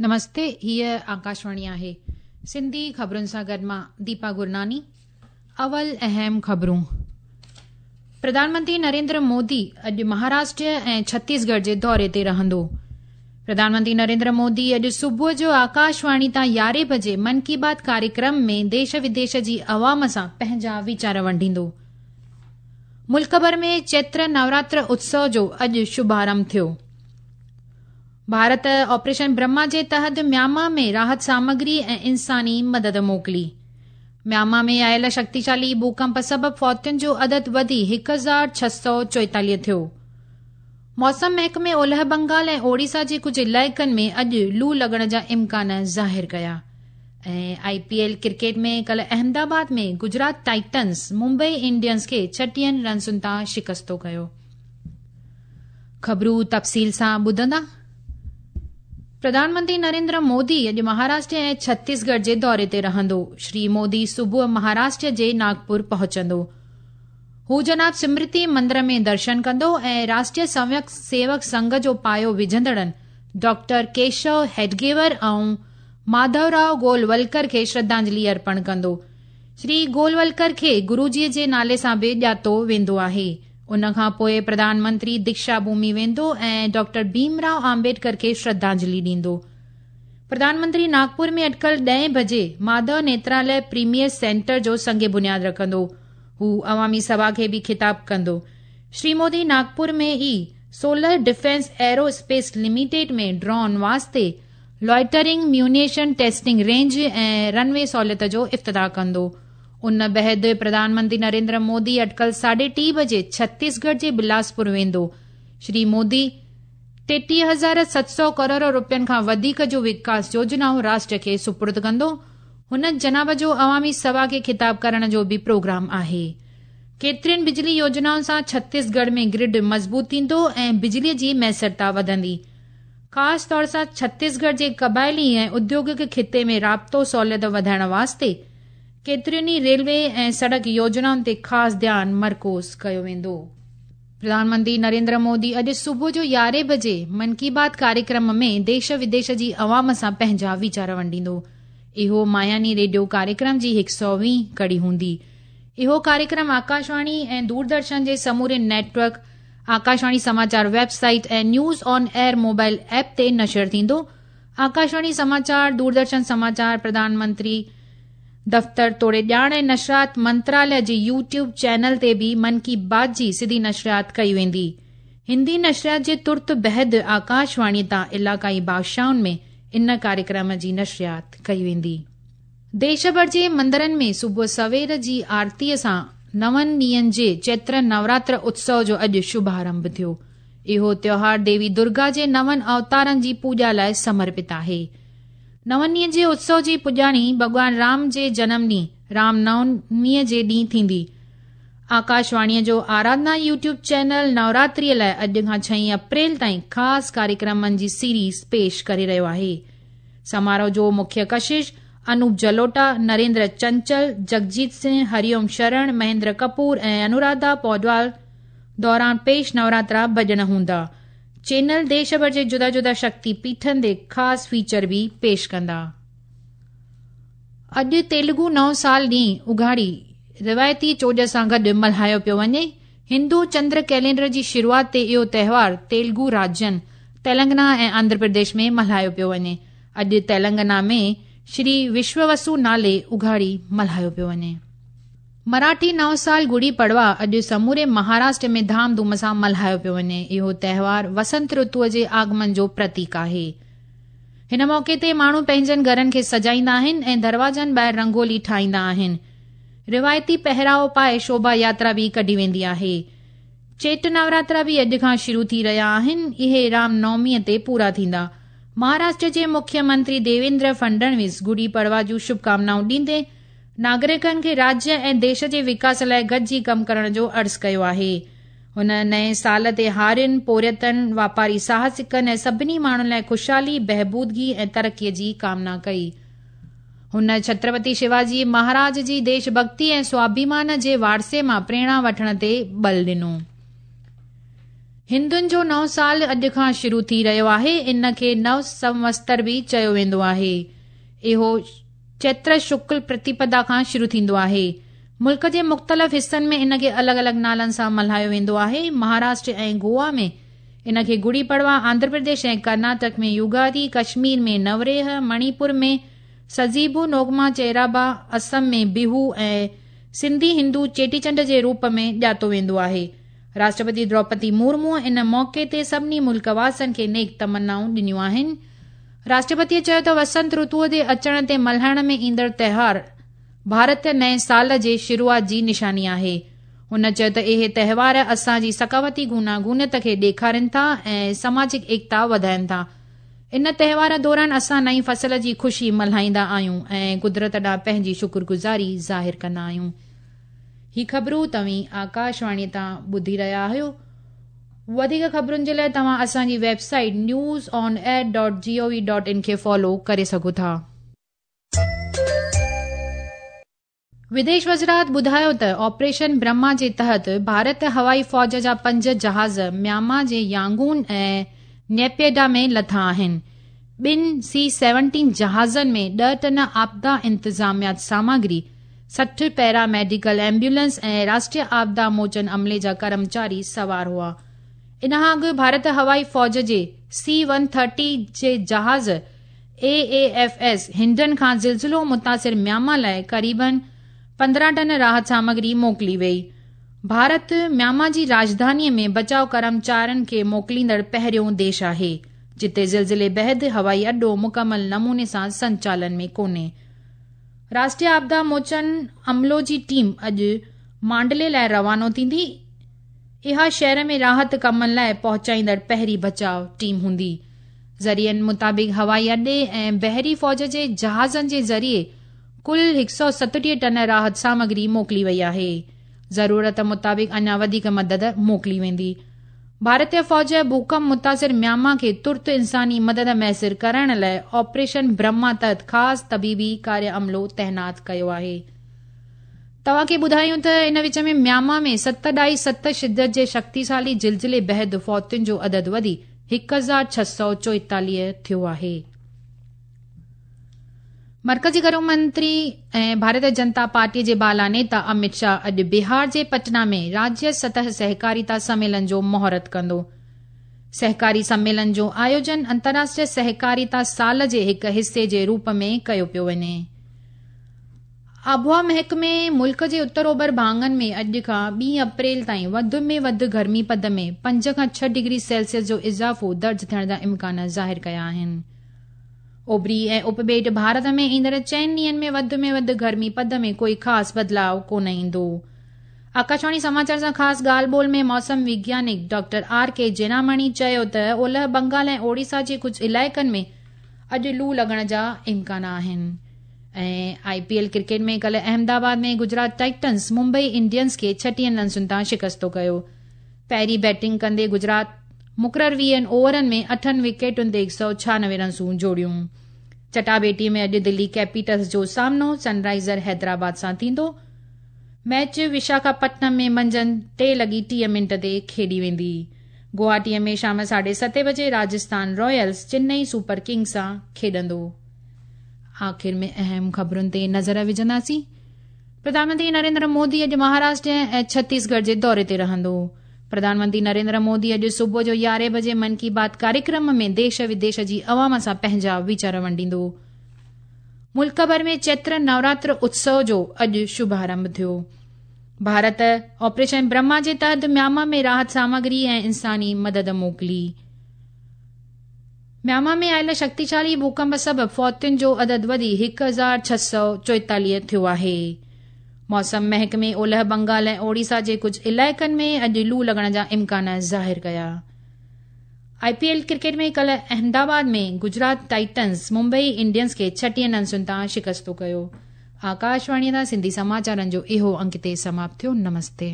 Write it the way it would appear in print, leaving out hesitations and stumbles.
نمستي هيء آڪاشواڻي آهي سنڌي خبرن سان گڏ مان ديپا گرناني اول اهم خبرون پرڌان منتري نريندر مودي اڄ مهاراشٽر ۽ ڇتيسڳڙهه جي دوري تي رهندو. پرڌان منتري نريندر مودي اڄ صبح جو آڪاشواڻي تان يارهين بجي من ڪي بات ڪاريڪرم ۾ ديش وديش جي عوام سان پنهنجا ويچار ونڊيندو. ملڪ ڀر ۾ چيتر نوراتر اتسو جو اڄ شڀارنڀ ٿيو. ڀارت آپريشن برهما جي تحت ميانما ۾ راحت سامگري ۽ انساني مدد موڪلي. ميانما ۾ آيل شڪتيشالي ڀوڪمپ سبب فوتين جو عدد وڌي 1644 ٿيو. موسم محڪمي اولهه بنگال ۽ اوڙيسا جي ڪجهه علائقن ۾ اڄ لو لڳڻ جا امڪان ظاهر ڪيا. ۽ آء پي ايل ڪرڪيٽ ۾ ڪلهه احمدآباد ۾ گجرات ٽائٽنز ممبئي انڊينز کي ڇٽيهن رنسن تان شڪستو ڪيو. خبرون تفصيل سان ٻڌندا. پرڌان منتري نريندر مودي اڄ مهاراشٽر ۽ ڇتيسڳڙهه جي دوري تي رهندو. شري مودي صبح مهاراشٽر جي ناگپور پهچندو. هو جناب سمرتي مندر ۾ درشن ڪندو ۽ راشٽريه سنويم سيوڪ سنگهه جو پايو وجهندڙن ڊاڪٽر ڪيشو هيڊگيور ۽ ماڌو راء گولولڪر کي شرڌانجلي ارپڻ ڪندو. شري گولولڪر کي گروجي جي نالي سان به ڄاتو ويندو آهي. ان کان پوء پرڌان منتري ديڪشا ڀومي ويندو ۽ ڊاڪٽر ڀيم راء آمبيڊڪر کي شرڌانجلي ڏيندو. پرڌان منتري ناگپور ۾ اٽڪل ڏهين بجي ماڌو نيتراليه پريميئر سينٽر جو سنگ بنياد رکندو. هو عوامي سڀا کي به خطاب ڪندو. شري مودي ناگپور ۾ ئي solar defence aero space limited ۾ drone واسطي loitering munition testing range ۽ runway سهولت جو افتتاح ڪندو. ان بعد پرڌان منتري نريندر مودي اٽڪل ساڍي ٽي بجي ڇتيسڳڙهه جي بلاسپور ويندو. شري مودي 33,700 ڪروڙ روپين کان وڌيڪ جون وڪاس يوجنائون راشٽر کي سپرد ڪندو. هن جناب جو عوامي سڀا کي خطاب ڪرڻ جو به پروگرام آهي. ڪيترين بجلي يوجنائن سان ڇتيسڳڙهه ۾ گرڊ مضبوط ٿيندو ۽ بجلي جي ميسرتا وڌندي. خاص طور سان ڇتيسڳڙهه جي قبائلي ۽ اديوگڪ خطي ۾ رابطو سهوليت وڌائڻ واسطي ڪيترين ئي ريلوي ۽ سڙڪ يوجنائن تي خاص ڌيان مرڪوز ڪيو ويندو. پرڌان منتري نريندر مودي اڄ صبح جو يارهين بجي من ڪي بات ڪاريڪرم ۾ ديش وديش جي عوام سان پنهنجا ويچار ونڊيندو. اهو ماهياني ريڊيو ڪاريڪرم جي هڪ سئو ويهين ڪڙي هوندي. اهو ڪاريڪرم آڪاشواڻي ۽ دوردرشن جي سموري net work, Akashvani Samachar web site ۽ news on air mobile app تي نشر ٿيندو. آڪاشواڻي سماچار، دوردرشن سماچار، پرڌان منتري دفتر توڙي ڄاڻ ۽ نشريات منتراليه جي يوٽيوب چينل تي به من ڪي بات جي سڌي نشريات ڪئي ويندي. هندي نشريات جي ترت بعد آڪاشواڻي تان علاقائي ڀاشائن ۾ ان ڪاريڪرم جي نشريات ڪئي ويندي. ديش ڀر جي مندرن ۾ صبح سوير جي آرتيء سان نون ڏينهن جي چيتر نوراتر اتسو جو اڄ شڀارنڀ ٿيو. اهو تيوهار ديوي درگا جي نون اوتارن جي پوڄا لاء سمرپت آهي. نون ڏينهن جي اتسو جي پڄاڻي ڀڳوان رام جي جنم ڏينهن رام نوميء جي ڏينهن ٿيندي. آڪاشواڻيء جو آراڌنا يوٽيوب چينل نوراتريء لاء اڄ کان ڇهين اپريل تائين خاص ڪاريڪرمن جي سيريز پيش ڪري رهيو آهي. سماروهه جو مکيه ڪشش انوپ جلوٽا، نريندر چنچل، جگجيت سنگهه، هري اوم شرڻ، مهيندر ڪپور ۽ انوراڌا پوڊوال دوران پيش نوراترا ڀڄن هوندا. چينل ديش ڀر جي جدا جدا شڪتي پيٺن تي خاص فيچر به پيش ڪندا. اڄ تيلگو نئون سال ڏينهن اگهاڙي روايتي چوڄ سان گڏ ملهايو پيو وڃي. هندو چندر ڪئلينڊر جي شروعات تي اهو تهوار تيلگو راجين تيلنگنا ۽ آنڌرا پرديش ۾ ملهايو پيو وڃي. اڄ تيلنگنا ۾ شري وشووسو نالي اگهاڙي ملهايو پيو وڃي. مراٺي نئون سال گڙي پڙوا اڄ سموري مهاراشٽر ۾ ڌام ڌوم سان ملهايو پيو وڃي. اهو تهوار وسنت رتوء جي آگمن جو پرتيڪ آهي. هن موقعي تي ماڻهو پنهنجن گهرن کي سجائيندا آهن ۽ دروازن ٻاهر رنگولي ٺاهيندا آهن. روايتي پهراوو پائي شوڀا ياترا به ڪڍي ويندي آهي. چيٽ نوراترا به اڄ کان شروع ٿي رهيا آهن. اهي رام نوميء تي پورا ٿيندا. مهاراشٽر جي مکيه منتري ديويندر فڊنويس گڙي پڙوا جون شڀڪامنائون ڏيندي ناگرڪن کي راجيه ۽ ديش جي وڪاس لاء گڏجي ڪم ڪرڻ جو عرض ڪيو آهي. هن نئين سال تي هارين، پورهيتن، واپاري ساهسڪن ۽ سڀني ماڻهن لاء خوشحالي، بهبودگي ۽ ترقي جي ڪامنا ڪئي. هن ڇترپتي شيواجي مهاراج جي ديش ڀڳتي ۽ سواڀيمان جي وارثي مان پريرڻا وٺڻ تي ٻل ڏنو. هندن جو نئون سال اڄ کان شروع ٿي رهيو آهي. ان کي نو سنوتسر به چيو ويندو آهي. اهو چيتر شڪل پرتيپدا کان شروع ٿيندو آهي. ملڪ جي مختلف حصن ۾ ان کي الڳ الڳ نالن سان ملهايو ويندو آهي. مهاراشٽر ۽ گوا ۾ ان کي گڙي پڙوا، آنڌرا پرديش ۽ ڪرناٽڪ ۾ يوگادي، ڪشمير ۾ نوريهه، مڻيپور ۾ سزيبو نوگما چيرابا، اسم ۾ بيهو ۽ سنڌي هندو چيٽي چنڊ جي روپ ۾ ڄاتو ويندو آهي. راشٽرپتي دروپدي مورموء ان موقعي تي سڀني ملڪ واسين کي نيڪ تمنائون ڏنيون آهن. راشٽرپتيء چيو ته وسنت رتوء جي اچڻ تي ملهائڻ ۾ ايندڙ تهوار ڀارتي نئين سال جي شروعات جي نشاني آهي. هن چيو ته اهي تهوار اسان جي ثقافتي گوناگونيت کي ڏيکارين ٿا ۽ سماجڪ ايڪتا وڌائين ٿا. ان تهوار دوران اسان نئين فصل جي خوشي ملهائيندا آهيون ۽ قدرت ڏانهن پنهنجي شڪرگذاري ظاهر ڪندا آهيون. هي خبرون توهين آڪاشواڻي تان ٻڌي رهيا آهيو. وڌيڪ خبرن جي لاء توهان اسان جي website news on air dot G O V dot in کي فالو ڪري سگهو ٿا. وديش وزارت ٻڌايو ته آپريشن برهما جي تحت ڀارت هوائي فوج جا پنج جهاز ميانما جي يانگون ۽ نيپيڊا ۾ لٿا آهن. ٻن سي سيونٽين جهازن ۾ ڏهه ٽن آپدا انتظاميات سامگري، 60 پيرا ميڊيڪل ايمبولينس ۽ راشٽريه آپدا موچن عملي جا ڪرمچاري سوار هئا. ان کان اڳ ڀارت هوائي فوج جي سي ون ٿرٽي جي جهاز اي اي ايف ايس هنڊن کان زلزلو متاثر ميانما لاء قريبن 15 ٽن راحت سامگري موڪلي وئي. ڀارت ميانما جي راڄڌاني ۾ بچاء ڪرمچارين کي موڪليندڙ پهريون ديش آهي، جتي زلزلي بعد هوائي اڏو مڪمل نموني سان سنچالن ۾ ڪونهي. راشٽريه آپدا موچن عملو جي ٽيم اڄ مانڊلي لاء روانو ٿيندي. اها شهر ۾ راحت ڪمن لاء پهچائيندڙ پهرين بچاء ٽيم هوندي. ذريعن مطابق هوائي اڏي ۽ بحري فوج جي جهازن جي ذريعي ڪل 137 ٽن راحت سامگري موڪلي وئي آهي. ضرورت مطابق اڃا وڌيڪ مدد موڪلي ويندي. ڀارتي فوج ڀوڪنپ متاثر ميانما کي ترت انساني مدد ميسر ڪرائڻ لاء آپريشن برهما تحت خاص طبيبي ڪاري عملو تعينات ڪيو آهي. توهان کي ٻڌايون ته ان وچ ۾ ميانما ۾ 7.7 شدت جي شڪتيشالي زلزلي بعد فوتين جو عدد وڌي 1644 ٿيو آهي. مرڪزي گهرو منتري ۽ ڀارتيه جنتا پارٽي جي بالا نيتا امت شاهه اڄ بهار جي پٽنا ۾ راجيه سطح سهڪاريتا سميلن جو مهورت ڪندو. سهڪاري سميلن جو آيوجن انترراشٽريه سهڪاريتا سال جي هڪ حصي جي روپ ۾ ڪيو پيو وڃي. آبهوا محڪمي ملڪ جي اتر اوڀر ڀاڱن ۾ اڄ کان 2 اپريل تائين وڌ ۾ وڌ گرمي پد ۾ 5 کان 6 ڊگري سيلسيس جو اضافو درج ٿيڻ جا امڪان ظاهر ڪيا آهن. اوڀري ۽ اپٻيٽ ڀارت ۾ ايندڙ چئن ڏينهن ۾ وڌ ۾ وڌ گرمي پد ۾ ڪوئي خاص بدلاء ڪونه ايندو. آڪاشواڻي سماچار سان خاص ڳالهه ٻولهه ۾ موسم وگيانڪ ڊاڪٽر آر ڪي جينامڻي چيو ته اولهه بنگال ۽ اوڙيسا جي ڪجهه علائقن ۾ اڄ لو لڳڻ جا امڪان آهن. ۽ آء پي ايل ڪرڪيٽ ۾ ڪلهه احمدآباد ۾ گجرات ٽائٽنز ممبئي انڊينز کي 36 رنسن تان شڪستو ڪيو. پهرين بيٽنگ ڪندي گجرات مقرر 20 اوورن ۾ اٺن وڪيٽن تي 196 رنسون جوڙيون. چٽاڀيٽي ۾ اڄ دلي ڪيپيٽلز جو سامنو سن رائيزر حيدرآباد سان ٿيندو. ميچ وشاکاپٽنم ۾ منجهند 3:30 تي کيڏي ويندي. گوهاٽي ۾ شام 7:30 بجي Rajasthan Ryles Chennai super Kings سان کيڏندو. آخر ۾ اهم خبرن تي نظر وجهنداسين. پرڌان منتري نريندر مودي اڄ مهاراشٽر ۽ ڇتيسڳڙهه جي دوري تي رهندو. پرڌان منتري نريندر مودي اڄ صبح جو 11 بجي من ڪي بات ڪاريڪرم ۾ ديش وديش جي عوام سان پنهنجا ويچار ونڊيندو. ملڪ ڀر ۾ چيتر نوراتر اتسو جو اڄ شڀارنڀ ٿيو. ڀارت آپريشن برهما جي تحت ميانما ۾ راحت سامگري ۽ انساني مدد موڪلي. ميانما ۾ آيل شڪتيشالي ڀوڪنپ سبب فوتين جو عدد وڌي 1644 ٿيو آهي. موسم محڪمي اولهه بنگال ۽ اوڙيسا جي ڪجهه علائقن ۾ اڄ لو لڳڻ جا امڪان ظاهر ڪيا. آء پي ايل ڪرڪيٽ ۾ ڪلهه احمدآباد ۾ گجرات ٽائٽنز ممبئي انڊينز کي 36 رنسن تان شڪستو ڪيو. آڪاشواڻي تان سنڌي سماچارن جو اهو انڪ هتي سماپت ٿيو. نمستي.